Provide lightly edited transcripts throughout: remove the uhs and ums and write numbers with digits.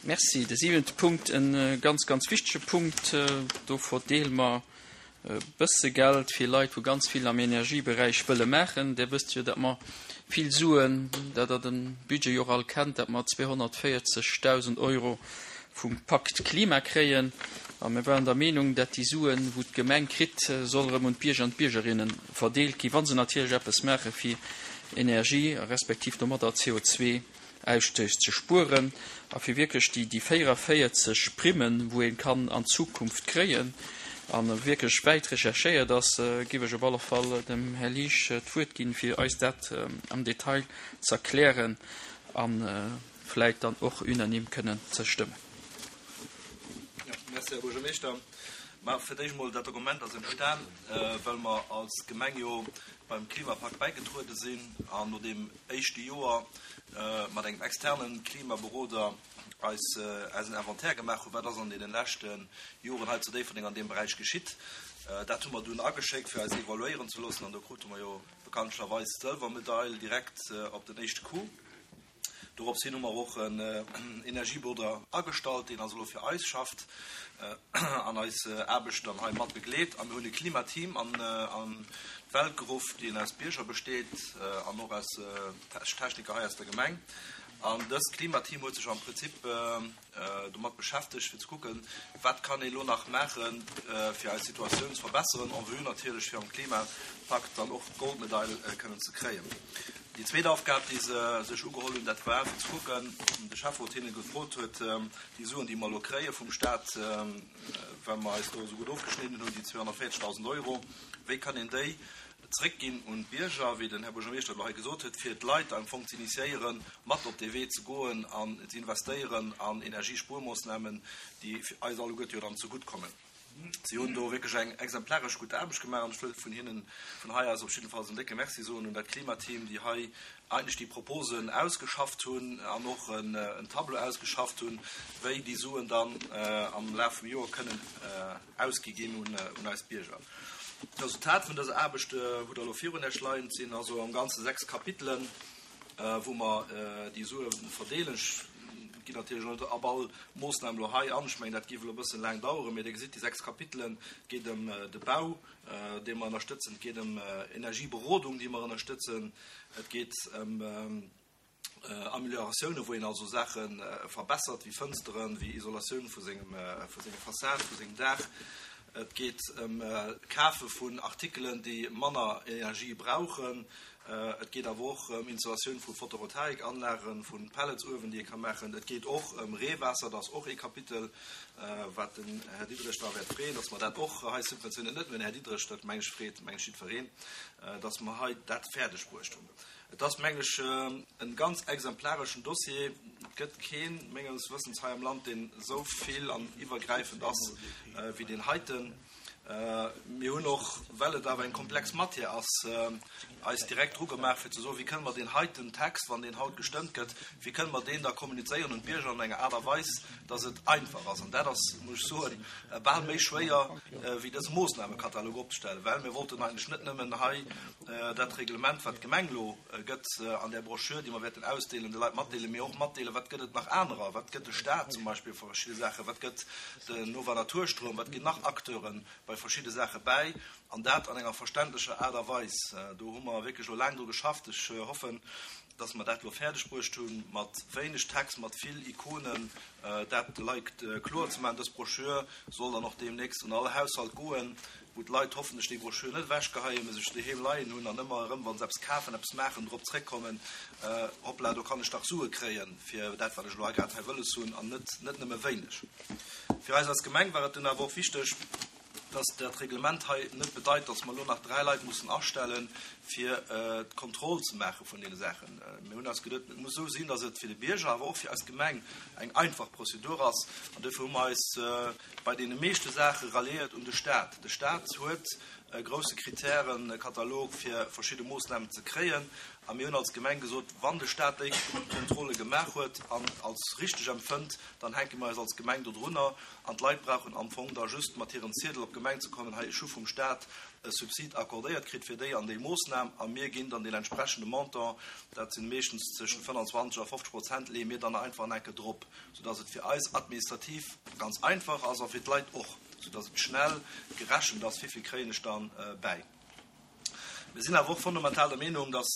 Merci. De siwente Punkt, e ganz, ganz wichtege Punkt, do verdeele mer e bësse Geld fir Leit, wou ganz vill am Energieberäich wëlle maachen. Dir wësst jo, datt mer vill Suen, dat Der de Budget jo och all kennt, datt mer 240.000 Euro vum Pakt Klima kréien. A mir waren der Meenung, datt déi Suen, wou d'Gemeng kritt, soll erëm un d'Bierger an d'Biergerinne verdeelt ginn, wa se natierlech eppes maache fir Energie respektiv domadder CO2 Ausstéiss ze spueren a fir wierklech déi déi 44 Primmen, wou ee kann an Zukunft kréien a wierklech wäit recherchéiert ass, géif ech op alle Fall dem Här Liesch d'Wuert ginn, fir eis dat am Detail ze erklären a vläit dann och unanime kënnen ze stëmmen. Jo, merci, Här Buergermeeschter. Mä fir d'éischt emol, dat Dokument ass entstan, well mer als Gemeng jo beim Klimapakt bäigetruede sinn an no deem éischte Joer mat engem externe Klimaberoder eis eisen Inventaire gemaach hunn, wat ass an deene leschte Joren hei zu Déifferdeng an deem Beräich geschitt. Dat hu mer dunn ageschéckt, fir eis evaluéieren ze loossen, an do krute mer jo bekanntlecherweis d'Sëlwermedail direkt op den éischte Coup. Dorops hin hu mer och en Energieberoder agestallt, deen also elo fir eis schafft an eis Aarbecht dann hei mat begleet. A mir hunn e Klimateam an d'Welt geruff, deen aus Bierger besteet an och aus Techniker hei aus der Gemeng. An dëst Klimateam huet sech am Prinzip domat beschäftegt, fir ze kucken, wat kann ee lo nach maachen, fir eis Situatioun ze verbesseren, en vue natierlech fir am Klimapakt dann och d'Goldmedail kënnen ze kréien. Déi zweet Aufgab, déi se sech ugeholl hunn, dat war fir ze kucken, de Schäfferot hinne gefrot huet, déi Suen, déi mer elo kréie vum Stat, well mer eis do esou gutt ofgeschnidden hunn, déi 240.000 Euro, wéi kann een déi zréckginn un d'Bierger, wéi den Här Buergermeeschter elo hei gesot huet, fir d'Leit am Fong ze initiéieren, mat op dee Wee ze goen an ze investéieren an Energiespuermoossnamen, déi eis alleguerte jo dann zegutt kommen. Si hunn do wierklech eng exemplaresch gutt Aarbecht gemaach an ech wëll vun hinnen vun hei aus op jiddefalls en décke Merci soen un dat Klimateam, déi hei eigentlech déi Proposen ausgeschafft hunn an och en Tableau ausgeschafft hunn, wéi déi Suen dann am Laf vum Joer kënnen ausgi ginn un eis Bierger. D'Resultat vun dëser Aarbecht hutt Der elo virun Iech leien. Et sinn also am Ganze 6 Kapitelen. wou mer déi Sue verdeelen. Ech ginn natierlech elo net op all Moossnam elo hei an. Ech mengen, dat géif elo e bëssen laang daueren. Mee Dir gesitt déi 6 Kapitelen. Et geet ëm de Bau, dee mer ënnerstëtzen. Et geet ëm Energieberodung, déi mer ënnerstëtzen. Et geet ëm Amelioratiounen, wou een also Saache verbessert, wéi Fënsteren, wéi Isolatioun vu sengem, vu senger Fassad, vu sengem Daach. Et geet ëm d'Kafe vun Artikelen, déi manner Energie brauchen. Et geet awer och ëm Installatioun vu Photovoltaikanlagen, vu Pelletsuewen, déi ee ka maachen. Et geet och ëm Reewaasser, dat ass och ee Kapitel, wat den Här Diderich da wäert freeën, dass mer dat och hei subventionéieren. Net nëmmen den Här Diderich, dat meng ech freet meng ech jiddwereen, dass mer hei dat fäerdeg bruecht hunn. Et ass meng ech e ganz exemplareschen Dossier. Et gëtt keen, menges Wëssens, hei am Land, deen esou vill an iwwergräifend ass wéi deen heiten. Mir hunn och, well et awer eng komplex Matière ass, eis direkt dru gemaach, fir ze soen, Wéi kënne mer deen heiten Text, wann deen haut gestëmmt gëtt, wéi kënne mer deen da kommunizéieren un d'Bierger an enger Aart a Weis, dass et einfach ass? An dat ass, muss ech soen, bal méi schwéier, wéi dëse Moosnamekatalog opzestellen, well mir wollten eigentlech net nëmmen hei dat Reglement, wat d'Gemeng elo gëtt an där Broschür, déi mer wäerten ausdeelen, de Leit matdeelen, mee och matdeelen, wat gëtt et nach anerer, wat gëtt de Stat zum Beispill fir verschidde Saachen, wat gëtt den Nova Naturstroum, wat ginn nach Acteure bei verschidde Saache bäi, an dat an enger verständlecher Aart a Weis. Do hu mer wierklech elo laang dru geschafft. Ech hoffen, dass mer dat elo fäerdeg bruecht hunn, mat wéineg Text, mat vill Ikonen, dat de Leit kloer ze maachen. Dës Broschür soll dann och deemnächst un all Haushalt goen, wou d'Leit hoffentlech déi Broschür net ewechgeheien, mee sech doheem leien hunn an ëmmer erëm, wa se eppes kafen, eppes maachen, drop zréckkommen, Hoppla, do kann ech dach Sue kréien fir dat, wat ech elo hei grad hei wëlles hunn, an net net nëmme wéineg. Fir eis als Gemeng war et dunn awer och wichteg, dass dat Reglement hei net bedeit, dass mer elo nach 3 Leit mussen astellen, fir d'Kontroll ze maache vun deene Saachen. Mir hunn eis geduet, et muss esou sinn, dass et fir de Bierger, awer och fir eis Gemeng eng einfach Prozedur ass. An duerfir hu mer eis bei deene meeschte Saache ralliéiert un de Stat. De Stat huet e grousse Kritärenkatalog, fir verschidde Moossnamen ze kréien. A mir hunn als Gemeng gesot, wann de Staat déi Kontrolle gemaach huet an als richteg empfënnt, dann hänke mir eis als Gemeng dodrunner. An d'Leit brauchen am Fong da just mat hirem Ziedel op d'Gemeng ze kommen, hei ech hu vum Staat e Subsid accordéiert kritt fir déi an déi Moossnam a mir ginn dann deen entsprechende Montant, dat si meeschtens zwëschen 25 a 50 Prozent, leeë mir dann einfach en Enke drop, soudass et fir eis administrativ ganz einfach ass a fir d'Leit och, soudass et schnell gerechent ass, wéivill kréien ech dann bäi. Mir sinn awer och fundamental der Meenung, dass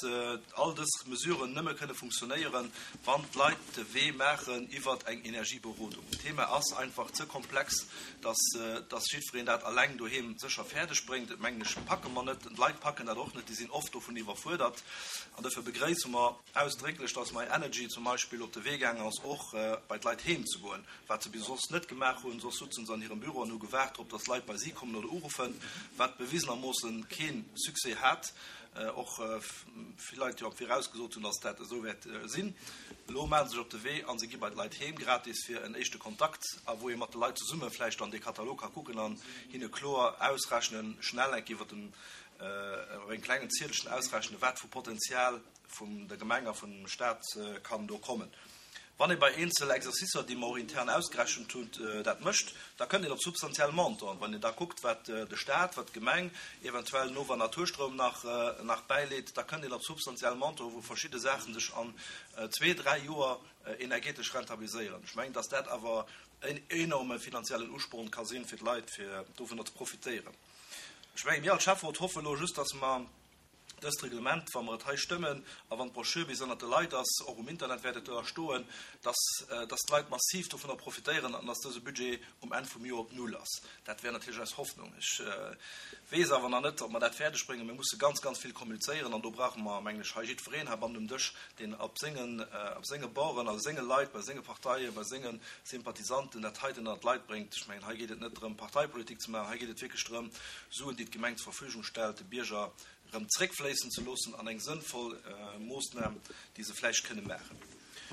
all dës Mesuren nëmme kënne funktionéieren, wann d'Leit de Wee maachen iwwer eng Energieberodung. D'Thema ass einfach ze komplex, dass dass jiddwereen dat alleng doheem sécher fäerdeg bréngt. Dat mengen ech packe mer net. D'Leit packen dat och net, déi sinn oft dovun iwwerfuerdert. An dofir begréisse mer ausdrécklech, dass MyEnergy zum Beispill op de Wee gaangen ass, och bei d'Leit heem ze goen, wat se bis soss net gemaach hunn. Soss sutzen se an hirem Büro an hu gewaart drop, dass Leit bei si kommen oder uruffen, wat bewisenermoossen kee Succès hat. Och vill Leit jo am Viraus gesot hunn, dass dat esou wäert sinn. Elo maache se sech op de Wee a se gi bei d'Leit heem, gratis fir en éischte Kontakt, a wou ee mat de Leit zesumme vläicht dann dee Katalog ka kucken an hinne kloer ausrechnen, schnell enk iwwer den, op engem klengen Ziedelchen ausrechnen, wat vu Potenzial vun der Gemeng a vum Stat kann do kommen. Wann ee bei eenzel Exercicer, déi mer och intern ausgerechent hunn, dat mécht, da kënnt een op substantiell Montanten. Wann een da kuckt, wat de Stat, wat d'Gemeng eventuell Nova Naturstroum nach nach bäileet, da kënnt een op substantiell Montanten, wou verschidde Saache sech an zwee, dräi Joer energetesch rentabiliséieren. Ech mengen, dass dat awer en enorme finanziellen Usporn ka sinn, fir d'Leit, fir dovunner ze profitéieren. Ech mengen, mir als Schäfferot hoffen elo just, dass mer Dëst Reglement, wa mer et hei stëmmen a wann d'Brochure bis ënnert de Leit ass, och um Internet wäert et da stoen, dass, dass d'Leit massiv dovunner profitéieren an dass dëse Budget um Enn vum Joer op Null ass. Dat wär natierlech eis Hoffnung. Ech weess awer nach net, ob mer dat fäerdeg bréngen. Mir musse ganz, ganz vill kommunizéieren an do brauche mer, mengen ech, hei jiddwereen heibannen um Dësch, deen op sengen, op senge Borden, a senge Leit, bei senge Parteien, bei senge Sympathisanten dat heiten ënnert d'Leit bréngt. Ech mengen, hei geet et net drëm, Parteipolitik ze maachen, hei geet et wierklech drëm, Suen, déi d'Gemeng zur Verfügung stellt, de Bierger erëm zréckfléissen ze loossen an eng sënnvoll Moossnam, déi se vläicht kënne maachen.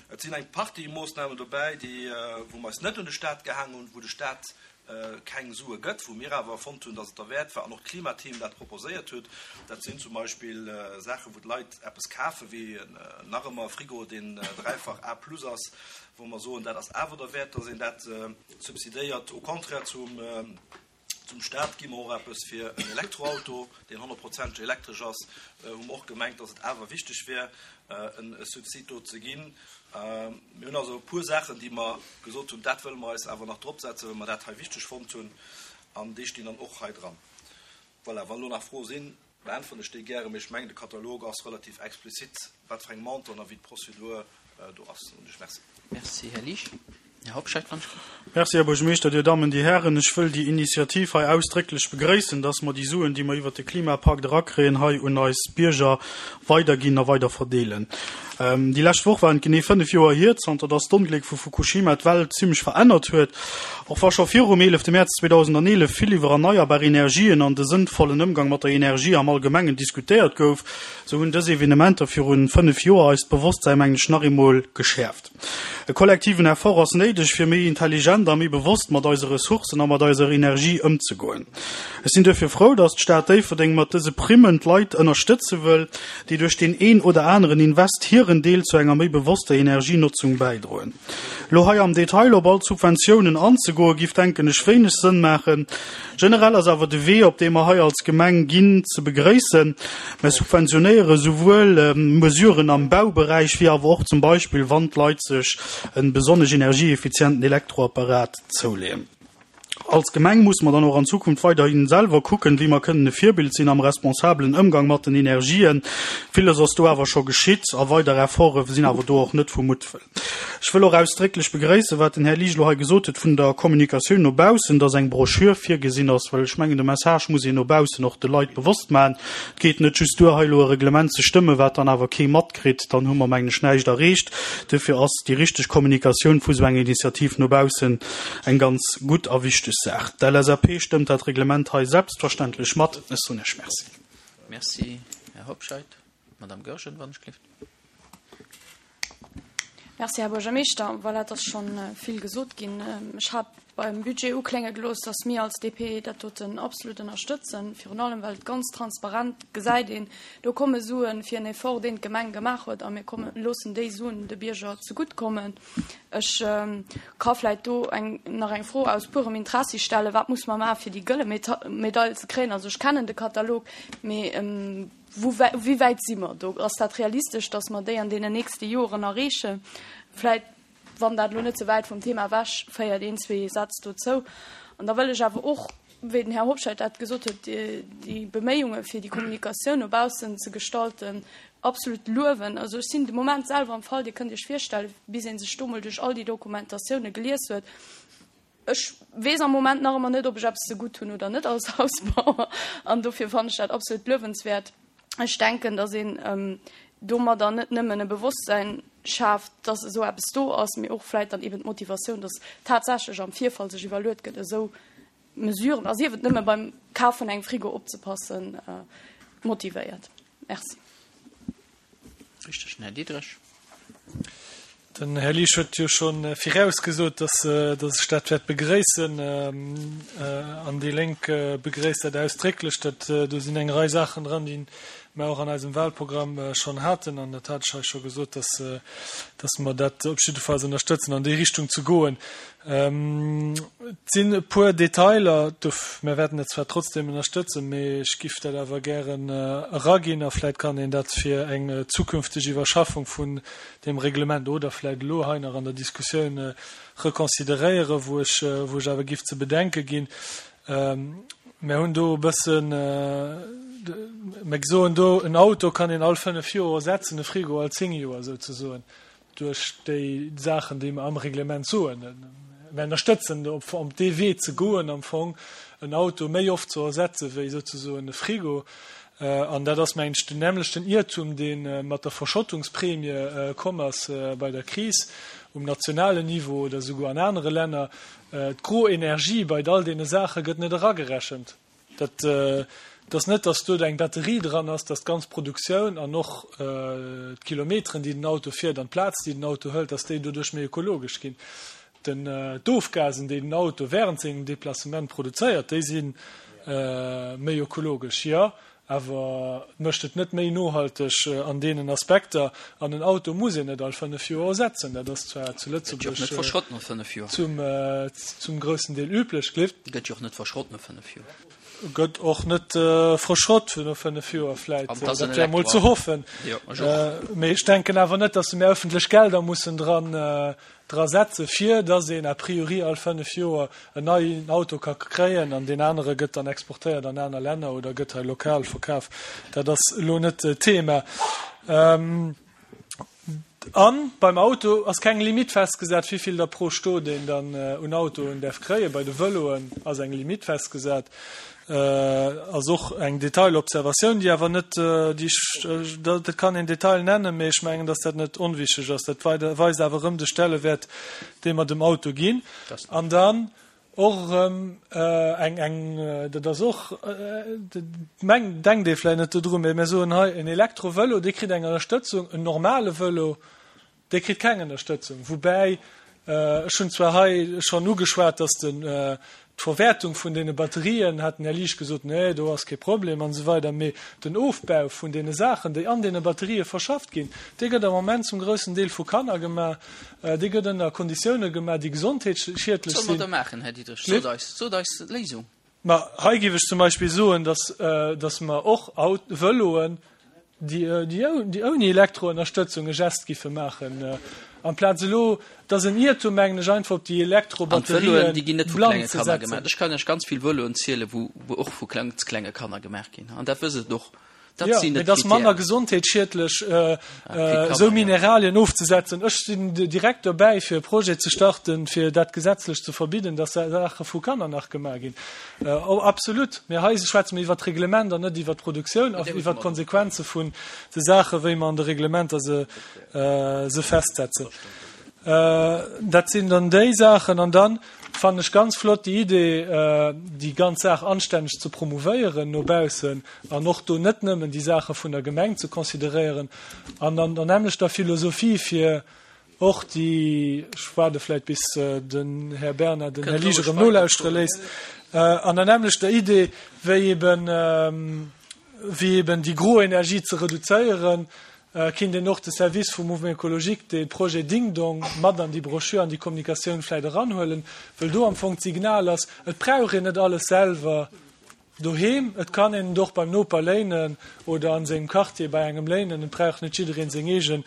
Et sinn eng Partie Moossnamen dobäi, déi, wou mer eis net un de Stat gehaangen hunn, wou de Stat keng Sue gëtt, wou mir awer fonnt hunn, dass et derwäert war an och d'Klimateam dat proposéiert huet. Dat sinn zum Beispill Saachen, wou d'Leit eppes kafen, wéi nach ëmmer e Frigo, deen dräifach A plus ass, wou mer soen, dat ass awer derwäert, dass een dat subsidéiert, au contraire zum, Zum Staat gi mer och eppes fir en Elektroauto, deen honnertprozenteg elektresch ass. Hu mer och gemengt, dass et awer wichteg wär, e Subsid do ze ginn. Mir hunn also e puer Saachen, déi mer gesot hunn, dat wëlle mer eis awer nach dropsetzen, well mer dat hei wichteg fonnt hunn. An déi stinn dann och hei dran. Voilà, wann elo nach Froe sinn, beäntweren ech déi gären, mee ech mengen, de Katalog ass relativ explizit, wat fir eng Montanten a wéi d'Prozedur do ass. Soen ech Merci. Merci, Här Liesch. Här Hobscheit, wann ech gelift. Merci, Här Buergermeeschter, Dir Dammen, Dir Hären. Ech wëll déi Initiativ hei ausdrécklech begréissen, dass mer déi Suen, déi mer iwwert de Klimapakt erakréien, hei un eis Bierger weiderginn a weider verdeelen. Déi lescht Woch waren et genee 5 Joer hier, zanter dass d'Ongléck vu Fukushima d'Welt zimmlech verännert huet. Och wa scho virum 11 Mäerz 2011 vill iwwer erneierbar Energien an de sënnvollen Ëmgang mat der Energie am Allgemengen diskutéiert gouf, sou hunn dës Evenementer virun 5 Joer eist Bewosstsäi, mengen ech, nach eemol geschäerft. E kollektiven Effort ass néideg, fir méi intelligent a méi bewosst mat eise Ressourcen a mat eiser Energie ëmzegoen. Ech sinn duerfir frou, dass d'Stad Déifferdeng mat dëse Primmen d'Leit ënnerstëtze wëll, déi duerch deen een oder aneren Invest hiren Deel zu enger méi bewosster Energienotzung bäidroen. Elo hei am Detail op all d'Subventiounen anzegoen, giff, denken ech, wéineg Sënn maachen. Generell ass awer de Wee, op dee mer hei als Gemeng ginn, ze begréissen. Mer subventionéiere souwuel Mesuren am Bauberäich wéi awer och zum Beispill, wann d'Leit sech e besonnesch energieeffizienten Elektroapparat zouleeën. Als Gemeng musse mer dann och an Zukunft weiderhi selwer kucken, wéi mer kënnen e Virbild sinn am responsabelen Ëmgang mat den Energien. Villes ass do awer scho geschitt a weider Efforte sinn awer do och net vu Muttwëll. Ech wëll och ausdrécklech begréissen, wat den Här Liesch elo hei gesot huet vun der Kommunikatioun no baussen, dass eng Broschür virgesinn ass, well ech mengen, de Message muss een no baussen och de Leit bewosst maachen. Et geet net just duer, hei elo e Reglement ze stëmmen, wat dann awer kee matkritt. Dann hu mer, mengen ech, näischt erreecht. Duerfir ass déi richteg Kommunikatioun vu sou enger Initiativ no baussen eng ganz gutt a wichteg Saach. D'LSAP stëmmt dat Reglement hei selbstverständlech mat. Ech soen Iech Merci. Merci, Här Hobscheit. Madame Goergen, wann ech gelift. Merci, Här Buergermeeschter. Voilà, et ass scho vill gesot ginn. Ech hat beim Budget uklénge gelooss, dass mir als DP dat doten absolut ënnerstëtzen, virun allem well et ganz transparent gesäit een, do komme Suen fir en Effort, deen d'Gemeng gemaach huet, a mir komme loossen déi Suen de Bierger zegutt kommen. Ech ka vläit do eng nach eng Fro aus purem Interessi stellen, Wat muss mer maachen, fir déi gëlle Medail ze kréien? Also ech kennen de Katalog, mee wou wéi wäit si mer do? Ass dat realistesch, dass mer déi an deenen nächste Joren erreechen? Vläit wann dat elo net ze wäit vum Thema ewech féiert, een, zwee Sätz dozou. An da wëll ech awer och, wéi den Här Hobscheit dat gesot huet, déi Beméiunge fir déi Kommunikatioun no baussen ze gestalten, absolut luewen. Also ech sinn de Moment selwer am Fall, Dir kënnt Iech virstellen, bis ee sech do mol duerch all déi Dokumentatioune gelies huet, ech weess am Moment nach ëmmer net, ob ech eppes ze gutt hunn oder net als Hausbauer. An dofir fannen ech dat absolut luewenswäert. Ech denken, datt een domadder net nëmmen e Bewosstsäin schaaft, datt esou eppes do ass, mee och vläit dann eben d'Motivatioun, datt tatsächlech am Virfall sech iwwerluet gëtt, esou Mesuren, a sief et nëmme beim Kaf vun engem Frigo opzepassen, motivéiert. Merci. Richteg, den Här Diderich. Den Här Liesch huet jo scho virausgesot, dass ech dat wäert begréissen. An déi Lénk begréisst dat ausdrécklech. Dat, do sinn eng Rei Saachen dran, déi mer och an eisem Wahlprogramm schonn haten. An dat hat ech hei scho gesot, dass, dass mer dat op jiddefalls ënnerstëtzen, an déi Richtung ze goen. Et sinn e puer Detailer, mir wäerten dat zwar trotzdem ënnerstëtzen, mee ech giff dat awer gären eraginn a vläit kann een dat fir eng zukünfteg Iwwerschaffung vun deem Reglement oder vläit elo hei nach an der Diskussioun reconsideréieren, wou ech, wou ech awer giff ze bedenke ginn. Mir hunn do e bëssen, mir soen do, en Auto kann een all fënnf Joer ersetzen, e Frigo all zéng Joer souzesoen. duerch déi Saachen, déi mer am Reglement soen. Mir ënnerstëtzen, op dee Wee ze goen, am Fong en Auto méi oft ze ersetze wéi souzesoen e Frigo. An dat ass, mengen ech, den nämmlechten Iertum, dee mat der Verschottungspremie komm ass bei der Kris um nationalen Niveau oder souguer an anere Länner. D'gro Energie bei all deene Saache gëtt net eragerechent. Dat ass net, dass do eng Batterie dran ass, dass d'ganz Produktioun an och d'Kilometeren, déi den Auto fiert an d'Plaz, déi den Auto hëlt, dass déi doduerch méi ökologesch ginn. D'Ofgasen, déi den Auto während sengem Deplacement produzéiert, déi si méi ökologesch, jo, awer et mécht et net méi nohalteg an deenen Aspekter. An en Auto muss een net all fënnef Joer ersetzen. Dat ass zwar zu Lëtzebuerg zum groussen Deel üblech. Gëtt jo och net verschrott no fënnef Joer. Gëtt och net verschrott no fënnef Joer vläit. Dat wär emol ze hoffen. Mee ech denken awer net, datt mir ëffentlech Gelder mussen dran dra setze fir datt een a priori all fënnef Joer en neien Auto ka kréien an deen anere gëtt dann exportéiert an aner Länner oder gëtt hei lokal verkaf. Dat ass elo net d'Thema. A beim Auto ass keng Limitt festgesat, wéi vill der pro Stot een dann un Autoen däerf kréien. Bei de Vëloen ass eng Limitt festgesat. Ass och eng Detailobservatioun, déi awer net, déi ech, dat kann een Detail nennen, mee ech mengen, dass dat net onwichtig ass. Dat weist awer erëm de Stellewäert, dee mer dem Auto ginn. An dann och erëm eng, eng, dat ass och, meng, denkt ee vläicht net dodru, mee mir soen hei, en Elektrovëlo, dee kritt eng Ënnerstëtzung, en normale Vëlo, Dee kritt keng Ënnerstëtzung. Woubäi, ech hunn zwar hei schonn ugeschwat, datt den, d'Verwäertung vun deene Batterien, hat den Här Liesch gesot, nee, do ass kee Problem an esou weider, mee den Ofbau vun deene Saachen, déi an deene Batterië verschafft ginn, dee gëtt am Moment zum groussen Deel vu Kanner gemaach, dee gëtt ënner Konditioune gemaach, déi gesondheetsschiedlech Wat solle sinn. mer da maachen, Här Diderich? Sot eis, sot eis d'Léisung. Ma hei géif ech zum Beispill soen, dass, dass mer och Vëloen, déi, déi ouni Elektroënnerstëtzung e Gest giffe maachen, amplaz elo, et ass en Iertum, mengen ech, einfach op déi An d'Vëloen, Elektrobatterien déi ginn net vu blann klenge ze Kanner setzen. gemaach. Ech kann Iech ganz vill Vëloen zielen, wou, wou och vu ganz klenge Kanner gemaach ginn. An dat wësst Der och. Dat Jo, sinn mee net et ass manner d'Kritären. gesondheetsschiedlech, Ah, fir esou d'Kanner, jo. Mineralien ofzesetzen. Ech sinn direkt dobäi, fir e Projet ze starten, fir dat gesetzlech ze verbidden, dass Saache vu Kanner nach gemaach ginn. Absolut. Mee hei schwätze mir iwwert d'Reglement an net iwwert d'Produktioun a iwwert d'Konsequenze vun de Saache, wéi mer an de Reglementer se, se festsetzen. Dat sinn dann déi Saachen. An dann fannen ech ganz flott déi Idee, déi ganz Saach anstänneg ze promouvéieren no baussen an och do net nëmmen déi Saache vun der Gemeng ze consideréieren an an der nämmlechter Philosophie fir. Och déi, ech waarde vläit bis den Här Bernard den Här Liesch erëm nolauschtere léisst, an der nämmlechter Idee wéi eben, wéi eben déi gro Energie ze reduzéieren, kinnt een och de Service vum Mouvement écologique dee Projet Ding Dong mat an déi Broschür, an déi Kommunikatioun vläit eranhuelen, wëll do am Fong d'Signal ass, et brauch een net alles selwer Doheem, et kann een et och beim Noper léinen oder an sengem Quartier bei engem léinen. Et brauch net jiddereen seng eegen,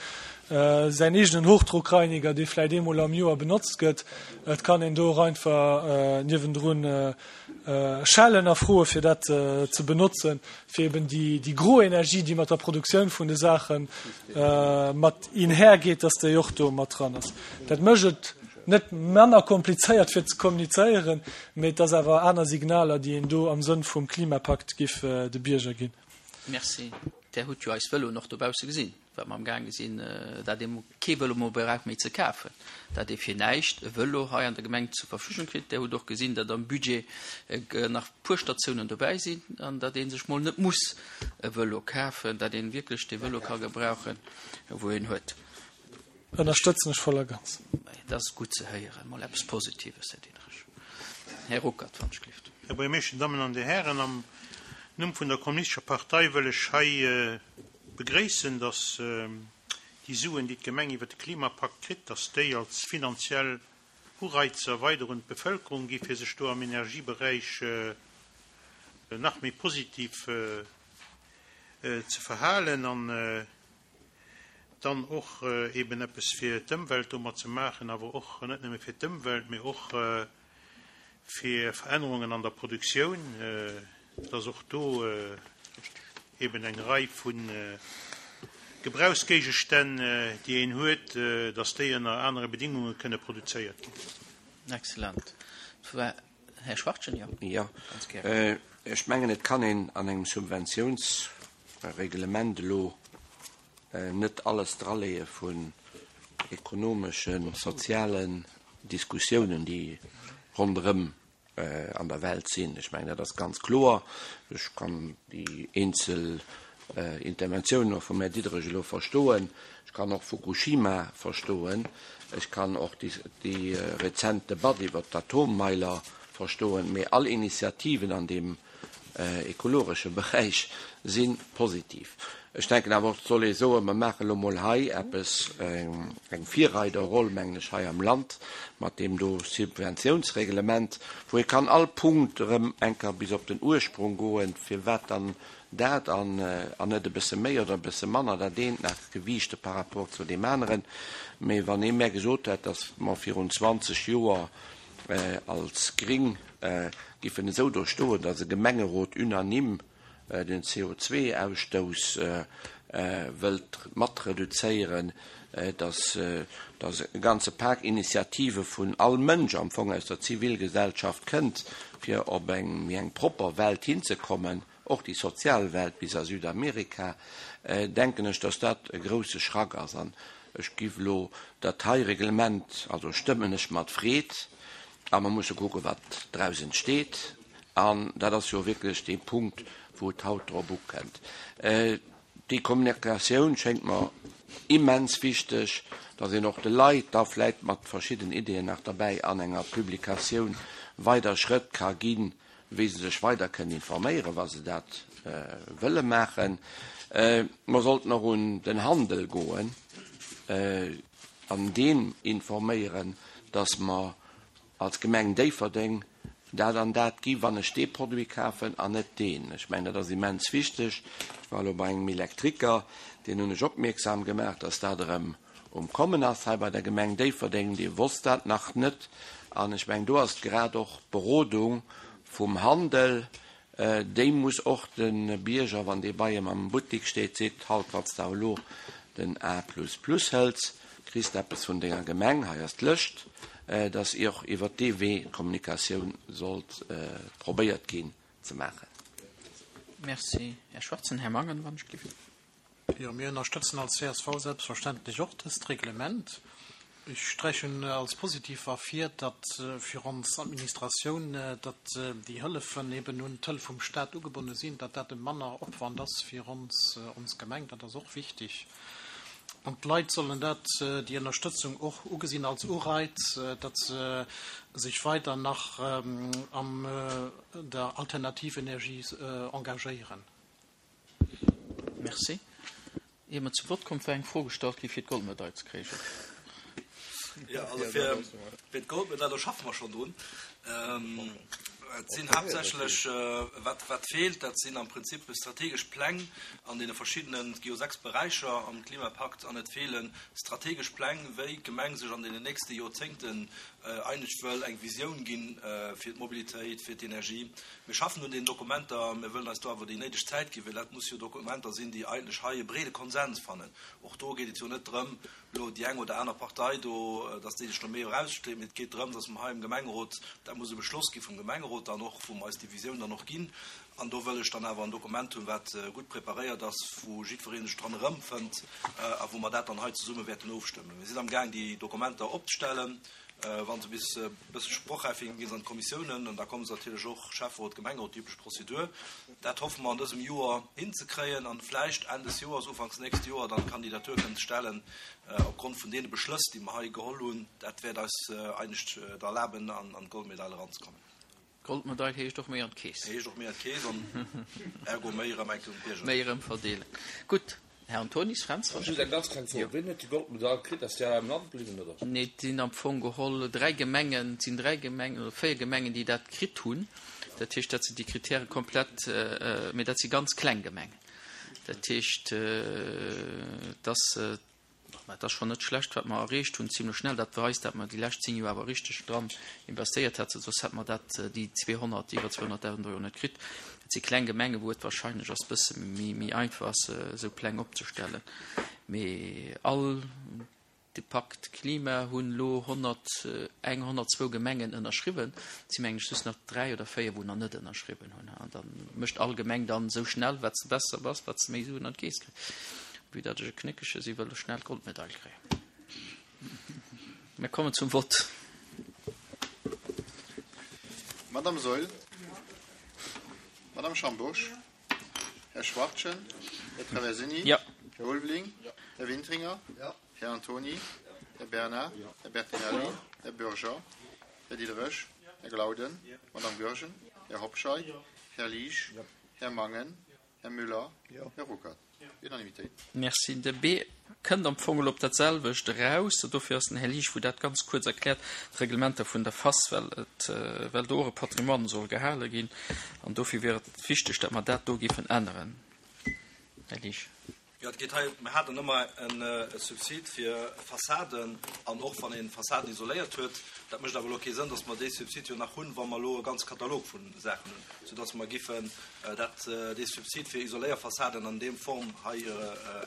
säin eegenen Hochdruckreiniger, dee vläit eemol am Joer benotzt gëtt. Et kann een do och einfach niewendrun schellen a froe fir dat ze benotzen, fir eben déi, déi gro Energie, déi mat der Produktioun vun de Saache mat einhergeet, dass déi och do mat dran ass. Dat mécht et Net manner komplizéiert fir ze kommunizéieren, mee et ass awer aner Signaler, déi een do am Sënn vum Klimapakt giff de Bierger ginn. Merci. Där hutt jo eis Vëloen och dobausse gesinn, wat mer amgaange sinn, dat ee kee Vëlo méi brauch méi ze kafen, dat ee fir näischt e Vëlo hei an der Gemeng zur Verfügung kritt. Där hutt och gesinn, datt am Budget nach e puer Statiounen dobäi sinn an datt ee sech mol net muss e Vëlo kafen, dat ee wierklech dee Vëlo ka gebrauchen, wou een huet. Ënnerstëtzen ech voll a ganz. Dat ass gutt ze héieren, mol eppes Positives, Här Diderich. Här Ruckert, wann ech gelift. Här Buergermeeschter, Dammen an Dir Hären, am Numm vun der Kommunistescher Partei wëll ech hei begréissen, dass déi Suen, déi d'Gemeng iwwert de Klimapakt kritt, dass déi als finanziell Ureizer weider un d'Bevëlkerung gi fir sech do am Energieberäich nach méi positiv ze verhalen an dann och eben eppes fir d'Ëmwelt domat ze maachen, awer och net nëmme fir d'Ëmwelt, mee och fir Verännerungen an der Produktioun, dass och do eben eng Rei vu Gebrauchsgéigestänn, déi een huet, dass déi ënner anere Bedingunge kënne produzéiert ginn. Excellent. Här Schwachtgen, jo? Jo, ech mengen, et kann een an engem Subventiouns Reglement elo net alles draleeë vun ekonomeschen, sozialen Diskussiounen, déi ronderëm an der Welt sinn. Ech mengen, dat ass ganz kloer. Ech kann déi eenzel Interventiounen och vum Här Diderich elo verstoen. Ech kann och Fukushima verstoen. Ech kann och déi rezent Debatt iwwert d'Atommeiler verstoen. Mee all Initiativen an deem ekologesche Beräich si positiv. Ech denken awer och, et soll ee soen, mer maachen elo mol hei eppes, eng Virreiderroll, mengen ech, hei am Land mat deem do Subventiounsreglement, wou ee kann all Punkt erëm eng Kéier bis op den Ursprung goen, firwat dann dat an net e bësse méi oder e bësse manner, dat eent nach gewiichte par rapport zu deem aneren. Mee wann ee mär gesot hätt, datt mer virun 20 Joer als Gring giffen esou do stoen, datt e Gemengerot unanime den CO2-Ausstouss wëllt mat reduzéieren, datt e ganze Pak Initiative vun all Mënsch am Fong aus der Zivilgesellschaft kënnt, fir op eng méi eng propper Welt hinzekommen, och déi sozial Welt bis a Südamerika, denken ech, dass dat e grouse Schrack ass. An ech giff elo dat hei Reglement, also stëmmen ech mat Freed, a mer musse kucken, wat draus entsteet. An dat ass jo wierklech dee Punkt, wou et haut drop ukënnt. Déi Kommunikatioun schéngt mer immens wichteg, dass een och de Leit da vläicht mat verschidden Ideeën nach derbäi an enger Publikatioun weider Schrëtt ka ginn, wéi se sech weider kënnen informéieren, wa se dat wëlle maachen. Mer sollten och un den Handel goen an deen informéieren, dass mer als Gemeng Déifferdeng dat an dat gi wann ech dee Produit kafen an net deen. Ech mengen, dat ass immens wichteg. Ech war elo bei engem Elektriker, deen hunn ech opmierksam gemaach, dass dat erëm um Kommen ass hei bei der Gemeng Déifferdeng, dee wosst dat nach net. An ech mengen, do ass grad och d'Berodung vum Handel, déi muss och de Bierger, wann dee bei em am Buttik steet, seet, Halt, wann s de elo den A plus plus hëls, kriss de eppes vun denger Gemeng, hei ass d'Lëscht, dass och iwwert dee Wee d'Kommunikatioun sollt probéiert ginn ze maachen. Merci, Här Schwarzen. Här Mangen, wann ech gelift. Jo, mir ënnerstëtzen als csv selbstverständlech och dëst Reglement. Ech sträichen als positiv ervir, datt fir ons Administratioun, datt déi Hëllefen eben un d'Hëllef vum Stat ugebonne sinn, datt dat e manner Opwand ass fir ons, ons Gemeng. Dat ass och wichtig. An d'Leit sollen dat, déi Ënnerstëtzung och ugesinn als Ureiz, datt se sech weider nach an der Alternativenergie engagéieren. Merci. Ier mer zum Vott kommen, war eng Fro gestallt gi fir d'Goldmedail ze kréien. Jo, also fir d'Goldmedail, do schaffe mer schonn drun. Et sinn haaptsächlech, wat wat feelt, dat sinn am Prinzip strategesch Pläng an deene verschiddenen, et gi jo 6 Beräicher am Klimapakt, an et feele strategesch Pläng, wéi d'Gemeng sech an deenen nächste Joerzéngten eigentlech wëll eng Visioun ginn fir d'Mobilitéit, fir d'Energie. Mir schaffen un deenen Dokumenter, mir wëllen eis do awer déi néideg Zäit ginn, well dat muss jo Dokumenter sinn, déi eigentlech hei e breede Konsens fannen. Och do geet et jo net drëm, elo déi eng oder aner Partei do, dass déi sech do méi erausstreet, mee et geet drëm, dass mer hei am Gemengerot, dat muss e Beschloss gi vum Gemengerot dann och, wou mer eis déi Visioun dann och ginn, an do wëll ech dann awer en Dokument hunn, wat gutt preparéiert ass, wou jiddweree sech dran erëmfënnt a wou mer dat dann hei zesumme wäerten ofstëmmen. Mir sinn amgaang déi Dokumenter opzestellen. Wa se bis e bësse sprochräif sinn, gi se an d'Kommissiounen an da komme se natierlech och Schäfferot, Gemengerot, déi üblech Prozedur. Dat hoffe mer an dësem Joer hinzekréien an vläicht Enn des Joers, ufanks nächst Joer dann d'Kandidatur kënnen ze stellen opgrond vun deene Beschlëss, déi mer hei geholl hunn. Dat wäert eis eigentlech et erlaben, an d'Goldmedail eranzekommen. Goldmedail heescht och méi an d'Keess. Heescht och méi an d'Keess an ergo méi erëm eng Kéier un d'Bierger. Méi erëm verdeelen. Gutt, Här Antonis, Fränz, wann Just eng ganz kleng Fro, Wien huet déi Goldmedail kritt? Ass déi all am Land bliwwen, oder? Nee, et sinn am Fong geholl dräi Gemengen, et sinn dräi Gemengen oder véier Gemengen, déi dat kritt hunn. Dat heescht, dat sinn déi Kritäre komplett, mee dat si ganz kleng Gemengen. Dat heescht, dass Mä et ass schonn net schlecht, wat mer erreecht hunn, zimlech schnell. Dat weist, dat mer déi lescht 10 Joer awer richteg dran investéiert hätten, soss hätte mer dat, déi 200, iwwer 200.000 Euro net kritt. Et si kleng Gemengen, wou et wahrscheinlech ass bësse méi, méi einfach ass, esou Pläng opzestellen. Mee all de Pakt Klima hunn elo 101, 102 Gemengen ënnerschriwwen. Et si mengen ech just nach dräi oder véier, wou nach net ënnerschriwwen hunn. An da mécht all Gemeng dann esou schnell, wat s de besser bass, wat s de méi Suen an d'Keess kriss. Vue datt ech e Knéckege si, wëll ech schnell d'Goldmedail kréien. Mir kommen zum Vott. Madame Saeul. Madame Schambourg. Här Schwachtgen. Här Traversini. Här Ulveling. Här Wintringer. Här Antony. Här Bernard. Här Bertinelli. Här Bürger. Här Diderich. Här Glauden. Madame Goergen. Här Hobscheit. Här Liesch. Här Mangen. Här Müller. Här Ruckert. Unanimitéit. Merci. De B kënnt am Fong elo op dat selwecht eraus. Dofir ass den Här Liesch, wou dat ganz kuerz erkläert, d'Reglementer vun der FAS, well et, well do och e Patrimoine soll gehale ginn. An dofir wier et wichteg, datt mer dat do géifen änneren. Här Liesch. Jo, et geet hei, mir haten ëmmer e Subsid fir Fassaden an och wann ee Fassaden isoléiert huet. Dat mécht awer elo kee Sënn, datt mer dee Subsid jo nach hunn, wa mer elo e ganze Katalog vu Saachen hunn, soudatt mer giffen dat, dee Subsid fir Isoléierfassaden an deem Form hei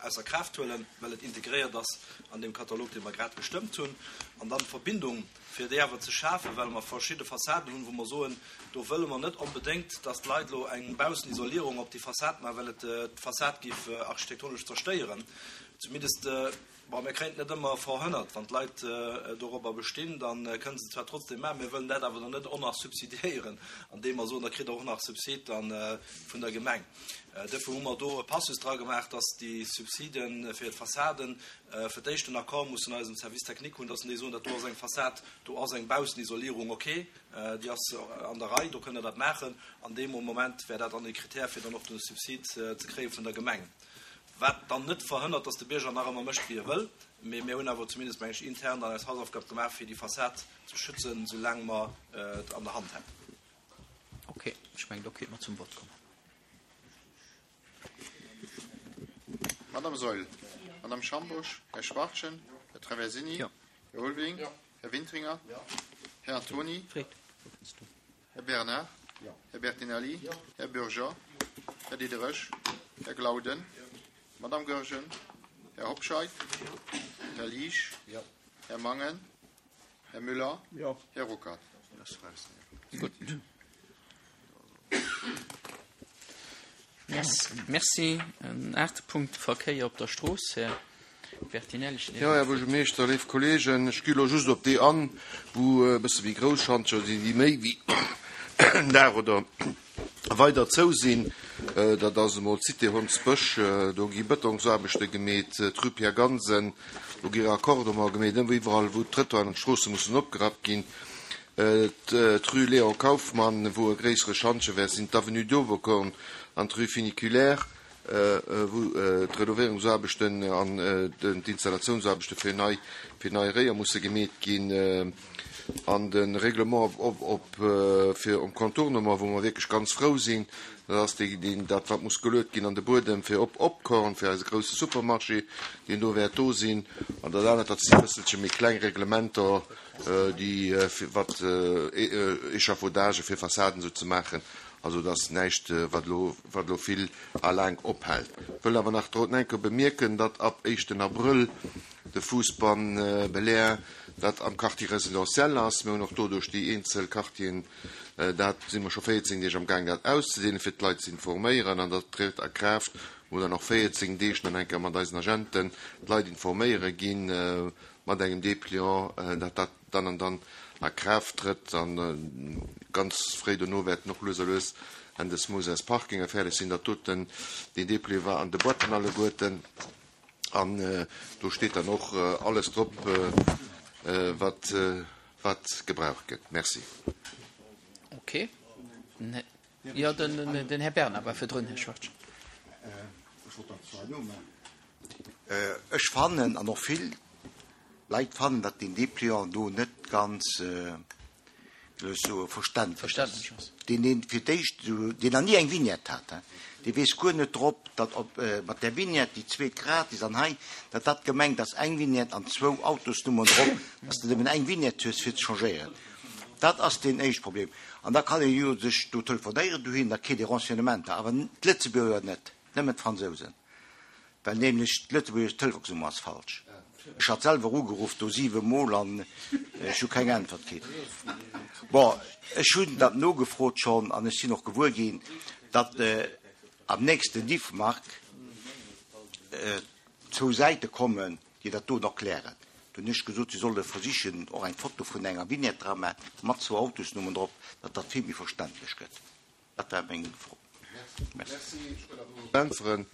ausser Kraaft huelen, well et integréiert ass an deem Katalog, dee mer grad gestëmmt hunn. An dann d'Verbindung fir déi awer ze schafen, well mer verschidde Fassaden hunn, wou mer soen, do wëlle mer net onbedéngt, dass d'Leit elo eng Baussenisolierung op déi Fassad maachen, well et d'Fassad géif architektonesch zerstéieren. Zumindest, bon, mir kréien et net ëmmer verhënnert, wann d'Leit dorobber bestinn, da kënne se et zwar trotzdem maachen, mir wëllen dat awer dann net och nach subsidiéieren, andeem mer soen, da kritt Der och nach Subsid da vun der Gemeng. Duerfir hu mer do e Passus dra gemaach, dass déi Subside fir d'Fassaden fir d'éischt den Accord mussen eisem Service technique hunn, dass en déi soen, dat do ass eng Fassad, do ass eng Baussenisolierung ok, déi ass an der Rei, do kënnt Der dat maachen. An deem Moment wär dat dann e Kritär, fir dann och de Subsid ze kréie vun der Gemeng. Wat dann net verhënnert, dass de Bierger nach ëmmer mécht, wéi e wëll. Mee mir hunn awer zumindest, meng ech, intern dann eis Hausaufgab gemaach, fir déi Fassad ze schützen, soulaang mer et an der Hand hätten. Ok, ech mengen, do kéinte mer zum Vott kommen. Madame Saeul, Madame Schambourg, Här Schwachtgen, Här Traversini, Här Ulveling, Här Wintringer, Här Antony, Här Bernard, Här Bertinelli, Här Bürger, Här Diderich, Här Glauden, Madame Goergen, Här Hobscheit, Här Liesch, Här Mangen, Här Müller, Här Ruckert. Gutt. Merci. En aachte Punkt, Verkéier op der Strooss, Här Bertinelli. Jo, Här Buergermeeschter, léif Kolleegen, ech gi elo just op déi an, wou e bësse méi grouss Schantjer sinn, déi méi wéi en Dag oder weider zou sinn. Dat ass emol d'Cité Hondsbësch, do gi Bëtongsaarbechte gemeet, d'Rue Pierre Gansen, do gi Raccordementer gemeet, iwwerall wou d'Trëttoiren an d'Stroosse mussen opgerappt ginn, d'Rue Léon Kauffmann, wou e gréissere Schantje wäert sinn, d'Avenue d'Oberkorn an d'Rue Funiculaire, wou d'Renovéierungsaarbechten an d'Installatiounsarbechte fir nei fir nei Réier musse gemeet ginn an de Règlement op fir um Contournement, wou mer wierklech ganz frou sinn, dat ass dee deen dat wat muss geluet ginn an de Buedem fir op Opkorn fir eise grousse Supermarché, deen do wäert do sinn. An dat anert, dat si e bësselche méi kleng Reglementer, déi fir wat Échafaudagë fir Fassaden esou ze maachen. Also et ass näischt wat elo wat elo vill a laang ophält. Wëll awer nach drot enke bemierken, datt ab éischten Abrëll de Fuussbann Belair, dat am Quartier résidentiel ass, mir hunn och do duerch déi eenzel Quartieren, dat si mer scho 14 Deeg am gaang dat auszedeelen, fir d'Leit ze informéieren, an dat trëtt a Kraaft, wou dann och 14 Deeg nach eng Kéier mat eisen Agenten d'Leit informéiere ginn, mat engem Dépliant, datt dat dann an dann a Kraaft trëtt an ganz fréi dono wäerten och lues a lues Enn des Mouns eis Parkinge fäerdeg sinn. Dat doten, deen Dépliant war an de Boîten alleguerten an do steet dann och alles drop, wat, wat gebraucht gëtt. Merci. Okay. Jo, den Här Bernard war virdrun, Här Schwartz. Ech fannen, an och vill Leit fannen, datt deen Dépliant do net ganz, wéi soll ech soen, verständlech ass. Deen, deen fir d'éischt, deen nach ni eng Vignette hat, dee weess guer net drop, datt op mat där Vignette déi zweet gratis an hei, datt dat gemengt ass eng Vignette an zwou Autosnummern drop, datt s de nëmmen eng Vignette hues fir ze changéieren. Dat ass deen éischt Problem. An da kann ee jo sech do telefonéieren dohin, da kritt ee Renseignementer, awer d'Lëtzebuerger net, nëmmen d'Fransousen, well nämlech d'lëtzebuergesch Telefonsnummer ass falsch. Ech hat selwer ugeruff do siwe Mol an ech hu keng Äntwert kritt. Bon, ech hunn dat nogefrot schonn an ech sinn och gewuer ginn, datt am nächsten Diffmark zwou Säite kommen, déi dat doen erklären. Do hunn ech gesot, si solle versichen, och eng Foto vun enger Vignette dra maachen, mat zwou Autosnummern drop, datt dat vill méi verständlech gëtt. Dat war meng Fro. Merci. Ech wëll awer och äntweren.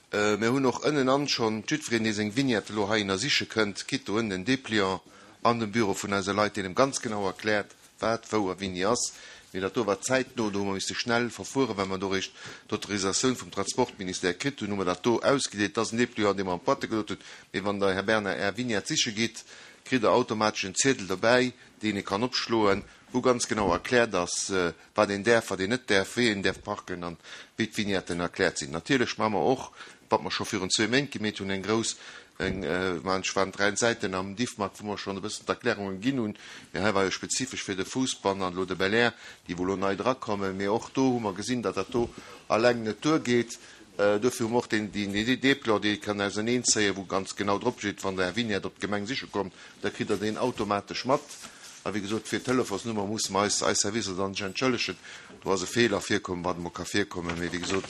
Mir hunn och ënnenan schonn, jiddwereen, dee seng Vignette elo hei ënnersiche kënnt, kritt do ënnen en Dépliant an dem Büro vun eise Leit, deen em ganz genau erkläert, wat wou a wéini ass. Mee dat do war zäitno, do hu mer misse schnell verfueren, well mer do eréischt d'Autorisatioun vum Transportministère kritt hunn, hu mer dat do ausgedeelt. Dat ass en Dépliant, dee mer an d'Boîte gelot hunn. Mee wann Der, Här Bernard, Är Vignette siche gitt, kritt Der automatesch en Ziedel dobäi, deen ee kann opschloen, wou ganz genau erkläert ass, wat een däerf, wat een net däerf, wéi een däerf parken an wéi d'Vignetten erkläert sinn. Natierlech maache mer och, wat mer scho virun zwee Méint gemeet hunn, eng grouss, eng, mä ech waren dräi Säiten am Diffmag, wou mer schonn e bëssen d'Erklärungen ginn hunn, mee hei war jo spezifesch fir de Fousbann an elo de Belair, déi wou elo nei drakommen. Mee och do hu mer gesinn, datt dat do alleng net duergeet. Dofir hu mer och deen Déplan, dee kann auserneenzéien, wou ganz genau drop steet, wann Der Är Vignette op d'Gemeng siche kommt, da kritt Der deen automatesch mat. A wéi gesot, fir d'Telefonsnummer musse mer eis, eis Servicer dann sech entschëllegen. Do ass e Feeler virkomm, wat emol ka virkommen. Mee wéi gesot,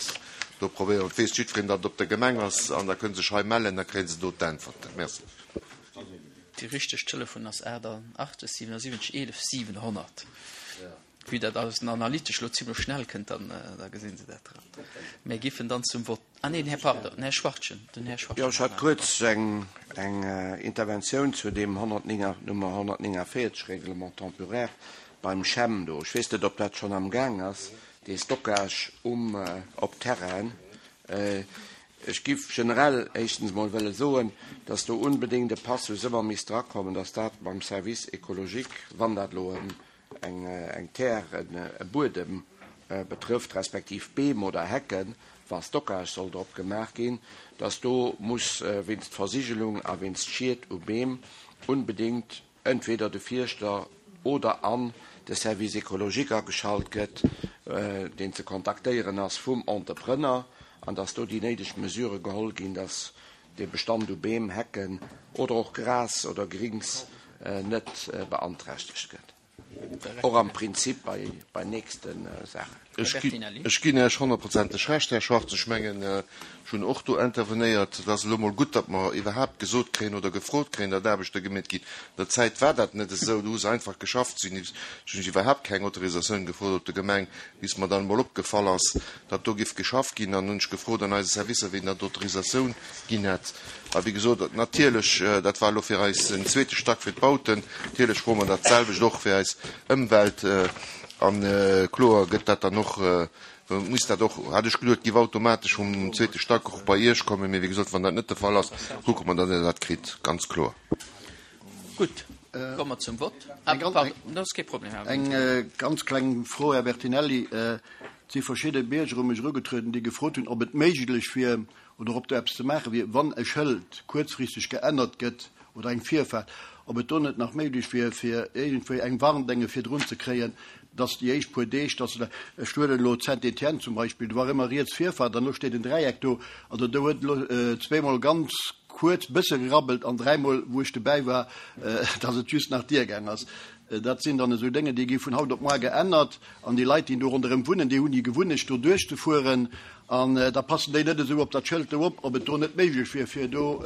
do probéiere mer, et weess jiddwereen, datt et op der Gemeng ass, an da kënne se sech hei mellen, da kréie se do d'Äntwerten. Merci. Déi richteg Telefon ass 88 77 11 700. Vue dat alles den analytesch lo zimlech schnell kënnt, dann da gesinn se dat dran. Mir giffen dann zum Vott. Ah neen, Här, pardon, den Här Schwachtgen, den Här Schwachtgen. Jo, ech hat kuerz eng eng Interventioun zu deem 109, Nummer 149, Règlement temporaire beim CHEM do. Ech weess net, ob dat schonn amgaang ass, dee Stockage um op Terrainen. Ech giff generell éischtens emol wëlle soen, dass do unbedéngt e Passus ëmmer misst drakommen, dass dat mam Service écologique, wann dat elo eng eng Terre, e Buedem betrëfft, respektiv Beem oder Hecken, wa Stockage soll drop gemaach ginn, dass do muss wéinst Versigelung a wéinst Schied u Beem unbedéngt entweder de Fierschter oder an de Service écologique ageschalt gëtt, deen ze kontaktéieren ass vum Entrepreneur, an dass do déi néideg Mesurë geholl ginn, dass dee Bestand u Beem, Hecken oder och Gras oder Grings net beanträchtegt gëtt. Och am Prinzip bei, bei nächste Saachen. Ech ginn Iech honnertprozenteg Recht, Här Schwarz. Ech mengen, ech hunn och do intervenéiert. Et ass elo emol gutt, datt mer iwwerhaapt gesot kréien oder gefrot kréien, datt Aarbechte gemeet ginn. An der Zäit war dat net esou. Do hu se einfach geschafft. Si hunn iwwerhaapt keng Autorisatioun gefrot op der Gemeng, bis mer dann emol opgefall ass, datt do giff geschafft ginn. Dann hunn ech gefrot an eise Servicer, wien dann d'Autorisatioun ginn hätt. A wéi gesot, natierlech, dat war elo fir eis en zweete Stack fir d'Bauten, natierlech froe mer dat selwecht och fir eis Ëmwelt. A kloer gëtt dat dann och, muss dat och, hat ech geduet, giff automatesch vum zweete Stack och bei Iech kommen. Mee wéi gesot, wann dat net de Fall ass, kucke mer, datt Dir dat kritt, ganz kloer. Gutt, komme mer zum Vott. Ah, pardon, dat ass kee Problem, Här Eng ganz kleng Fro, Här Bertinelli. Et si verschidde Bierger u mech erugetrueden, déi gefrot hunn, ob et méiglech wier oder ob do eppes ze maache wier, wann e Schëld kuerzfristeg geännert gëtt oder eng Virfaart, ob et do net nach méiglech wier, fir iergendwéi eng Warndenge virdrun ze kréien, dass déi éischt puer Deeg, dass se da, ech huelen elo Saint-Étienne zum Beispill, do war ëmmer riets Virfaart an elo steet en Dräieck do, also do huet elo zweemol ganz kuerz bësse gerabbelt an dräimol, wou ech dobäi war, dass et just nach diergaang ass. Dat sinn dann esou Dénge, déi gi vun haut op moar geännert an déi Leit, déi do ronderëm wunnen, déi hunn déi Gewunnecht, do duerchzefueren an da passen déi net esou op dat Schëld do op, ob et do net méiglech wier, fir do.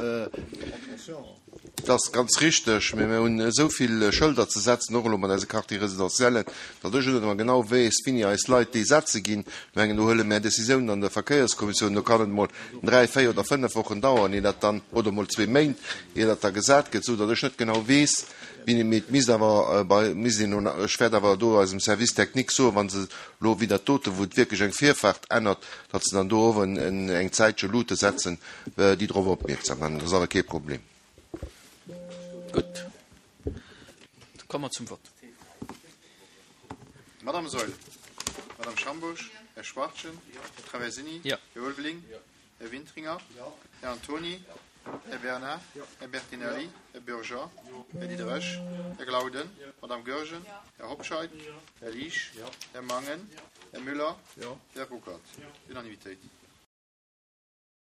Dat ass ganz richteg, mä mir hunn esou vill Schëlder ze setzen, och elo mat eise Quartier résidentiellen, datt ech net ëmmer genau weess, wéini eis Leit déi setze ginn. Ech mengen, do huele mär Décisiounen an der Verkéierskommissioun, do kann et emol dräi, véier oder fënnef Wochen daueren, ier dat dann, oder emol zwee Méint, ier dat da gesat gëtt, esou datt ech net genau weess, Mee et misst awer bei, misst een elo, ech wäert awer do eisem Service technique soen, wa se elo wéi dat dote, wou et wierklech eng Virfaart ännert, datt se dann do och eng Zäitche Luute setzen, déi drop opmierksam maachen. Dat ass awer kee Problem. Gutt, da komme mer zum Vott. Madame Saeul, Madame Schambourg, Här Schwachtgen, Här Traversini, Här Ulveling, Här Wintringer, Här Antony, Här Bernard, Här Bertinelli, Här Bürger, Här Diderich, Här Glauden, Madame Goergen, Här Hobscheit, Här Liesch, Här Mangen, Här Müller, Här Ruckert. Unanimitéit.